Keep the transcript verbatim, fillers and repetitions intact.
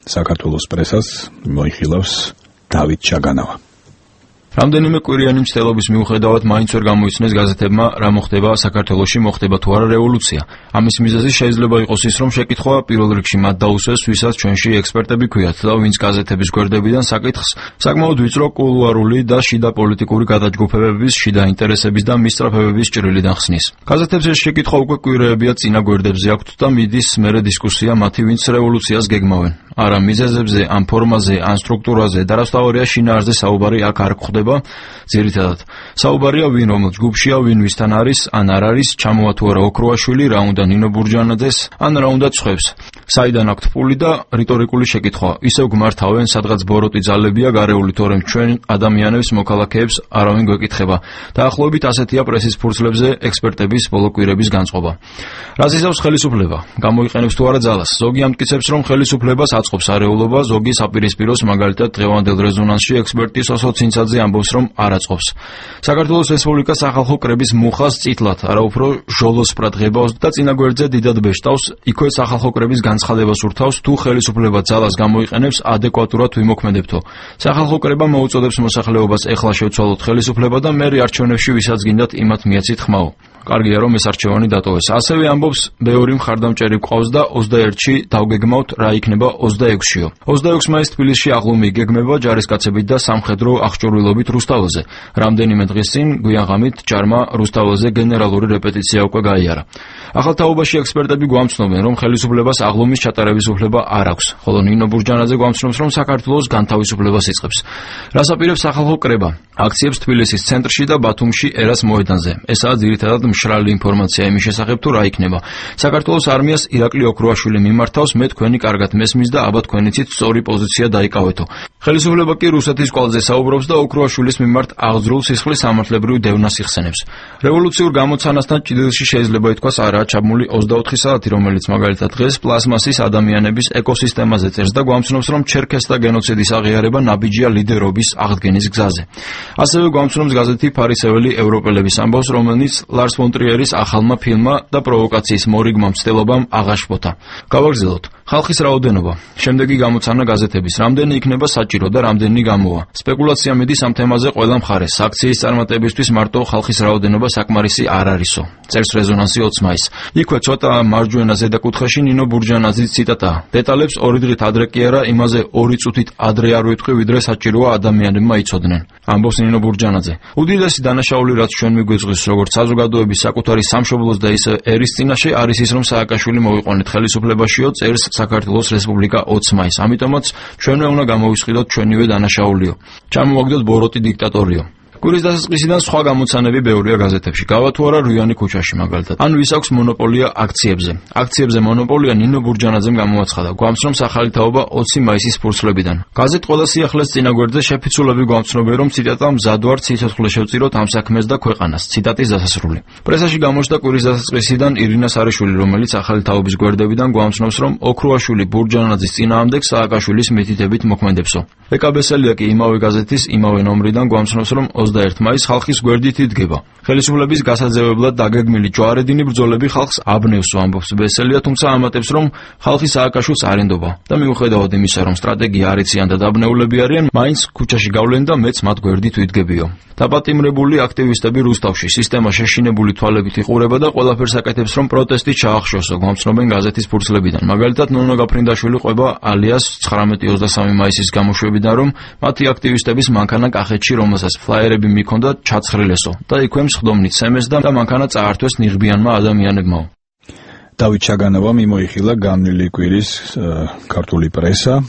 საქართველოს პრესას მოიხილავს დავით ჩაგანავა. რამდენიმე კვირიანი მცდელობის მიუხედავად მაინც ვერ გამოიცნეს გაზეთებმა რა მოხდება საქართველოში, მოხდება თუ არა რევოლუცია. ამის მიზეზი შეიძლება იყოს ის, რომ შეკითხვა პირველ რიგში მათ დაუსვეს, ვისაც ჩვენში ექსპერტები ქვიათ და ვინც გაზეთების გვერდებიდან საკითხს საკმაოდ ვიწრო კულუარული და შიდა პოლიტიკური გადაჯგუფებების, შიდა ინტერესების და მისწრაფებების ჭრილიდან ხსნის. გაზეთებს ეს შეკითხვა უკვე კვირეებია წინა გვერდებზე აქვთ და მიდის მერე დისკუსია მათი, ვინც რევოლუციას გეგმავენ. არა მიზეზებზე, ან ფორმაზე, ან სტრუქტურაზე და რასთავარია შინაარსზე საუბარი აქ არ გვხდება. ძირითადად საუბარია ვინ რომელ ჯგუფშია, ვინ ვისთან არის, ან არ არის, ჩამოვა თუ არა ოქროაშვილი, რა უნდა ნინო ბურჯანაძეს, ან რა უნდა ცხებს. საიდან აქვთ ფული და რიტორიკული შეკითხვა. ისევ გმართავენ, სადღაც ბოროტი ძალებია გარეული, თორემ ჩვენ ადამიანებს, მოქალაქეებს არავინ გვეკითხება. დაახლოებით ასეთია პრესის ფურცლებზე ექსპერტების ბოლო კვირების განწყობა. რას იზავს ხელისუფლება? გამოიყენებს თუ არა ძალას? ზოგი ამტკიცებს, რომ ხელისუფლებას აწყობს არეულობა, ზოგი საპირისპიროს, მაგალითად დღევანდელ რეზონანსში ექსპერტი სოსო ცინცაძე ამბობს, რომ არ აწყობს. საქართველოს რესპუბლიკა სახალხო კრების მუხას წითლად, არა უფრო ჟოლოსპრად ღებავს და წინა გვერდზე დიდად ბეშტავს, იქვე სახალხო კრების განცხადებას ურთავს, თუ ხელისუფლება ძალას გამოიყენებს, ადეკვატურად ვიმოქმედებთო. სახალხო კრება მოუწოდებს მოსახლეობას ეხლა შევცვალოთ ხელისუფლება და მერე არჩევნებში ვისაც გინდათ იმათ მიეცით ხმაო. კარგია რომ ეს არჩევანი დატოვეს. ასევე ამბობს, ბევრი მხარდამჭერი გვყავს და ოცდაერთში დავგეგმავთ რა იქნება ოცდაექვსშიო. ოცდაექვსი მაისს თბილისში აღლუმი იგეგმება ჯარისკაცებით და სამხედრო აღჭურვილობით რუსთაველზე. რამდენიმე დღის წინ გვიანღამით ჯარმა რუსთაველზე გენერალური რეპეტიცია უკვე გაიარა. ახალ თაობაში ექსპერტები გვამცნობენ, რომ ხელისუფლებას აღლუმის ჩატარების უფლება არ აქვს, ხოლო ნინო ბურჯანაძე გვამცნობს, რომ საქართველოს განთავისუფლებას იწყებს. რას აპირებს სახალხო კრება? აქციებს თბილისის ცენტრში და ბათუმში ერას მოედანზე. ესაა ძირითადად მშრალი ინფორმაცია იმის შესახებ, თუ რა იქნება. საქართველოს არმიას ირაკლი ოქროაშვილი მიმართავს, მე თქვენი კარგად მესმის და აბა თქვენიცით სწორი პოზიცია დაიკავეთო. ხელისუფლება კი რუსეთის კვალზე საუბრობს და ოქროაშვილის მიმართ აღძრულ სისხლის სამართლებრივ დევნას იხსენებს. რევოლუციურ გამოცანასთან ჭიდილში შეიძლება ითქვას არაა ჩაბმული ოცდაოთხი საათი, რომელიც მაგალითად დღეს პლასმასის ადამიანების ეკოსისტემაზე წერს და გვამცნობს, რომ ჩერქესთა გენოციდის აღიარება ნაბიჯია ლიდერობის აღდგენის გზაზე. ასევე გვამცნობს გაზეთი ფარისეველი ევროპელების ამბავს, რომელიც ლარს ფონ ტრიერის ახალმა ფილმმა და პროვოკაციის მორიგმა მცდელობამ აღაშფოთა. გავაგრძელოთ. ხალხის რაოდენობა. შემდეგი გამოცანა გაზეთების. რამდენი იქნება საჭირო და რამდენი გამოვა. სპეკულაცია მიდის ამ თემაზე ყველა მხარეს. აქციის წარმატებისთვის მარტო ხალხის რაოდენობა საკმარისი არ არისო. წერს რეზონანსი ოცი მაისს. იქვე ცოტა მარჯვენა ზედაკუთხეში ნინო ბურჯანაძის ციტატა. დეტალებს ორი დღით ადრე კი არა, იმაზე ორი წუთით ადრე არ ვიტყვი, ვიდრე საჭიროა ადამიანებმა იცოდნენ. ამბობს ნინო ბურჯანაძე. უდიდესი დანაშაული, რაც ჩვენ მიგვეძღვის, როგორც საზოგადოების საკუთარი სამშობლოს და ისე ერის წინაშე, არის ის, რომ სააკაშვილი მოვიყვანეთ ხელისუფლებაშიო, წერს საქართველოს რესპუბლიკა ოცი მაისს. ამიტომაც ჩვენვე უნდა გამოვისყიდოთ ჩვენივე დანაშაულიო. ჩამოვაგდოთ ბოროტი დიქტატორიო. კვირის დასაწყისიდან სხვა გამოცანები ბევრია გაზეთებში. გავა თუ არა რუიანი ქუჩაში მაგალითად. ან ვის აქვს მონოპოლია აქციებზე. აქციებზე მონოპოლია ნინო ბურჯანაძემ გამოაცხადა. გვამცნობს ახალი თაობა ოცი მაისის ფურცლებიდან. გაზეთ ყველა სიახლეს წინა გვერდზე შეფიცულები გვამცნობენ, რომ ციტატა მზად ვარ ციცოცხლე შევწიროთ ამ საქმეს და ქვეყანას. ციტატის დასასრული. პრესაში გამოჩნდა კვირის დასაწყისიდან ირინა სარიშვილი, რომელიც ახალი თაობის გვერდებიდან გვამცნობს, რომ ოქროაშვილი ბურჯანაძის წინააღმდეგ სააკაშვილის მითითებით მოქმედებსო. ეკაბესელია კი იმავე გაზეთის იმავე ნომრიდან გვამცნობს, რომ ოცდაერთი მაისს ხალხის გვერდით იდგება. ხელისუფლების გასაძევებლად დაგეგმილი ჯვარედინი ბრძოლები ხალხს აბნევსო, ამბობს ბესელია, თუმცა ამატებს, რომ ხალხი სააკაშვილს არ ენდობა და მიუხედავად იმისა, რომ სტრატეგია არ იციან და დაბნეულები არიან, მაინც ქუჩაში გავლენ და მეც მათ გვერდით ვიდგებიო. დაპატიმრებული აქტივისტები რუსთავში სისტემა შეშინებული თვალებით იყურება და ყველაფერს აკეთებს, რომ პროტესტი ჩაახშოსო, გვამცნობენ გაზეთის ფურცლებიდან. მაგალითად, ნონო გაფრინდაშვილი ყვება ალიას ცხრამეტი ოცდასამი მაისის გამოშვებიდან, რომ მათი აქტივისტების მანქანა კახეთში, რომელსაც ფლაიერები მიქონდა, ჩაცხრილესო და იქვე მსხდომნით სემეს და მანქანა წაართვეს ნიღბიანმა ადამიანებმაო. დავით ჩაგანავამ იმოიხილა განვლილი კვირის ქართული პრესა.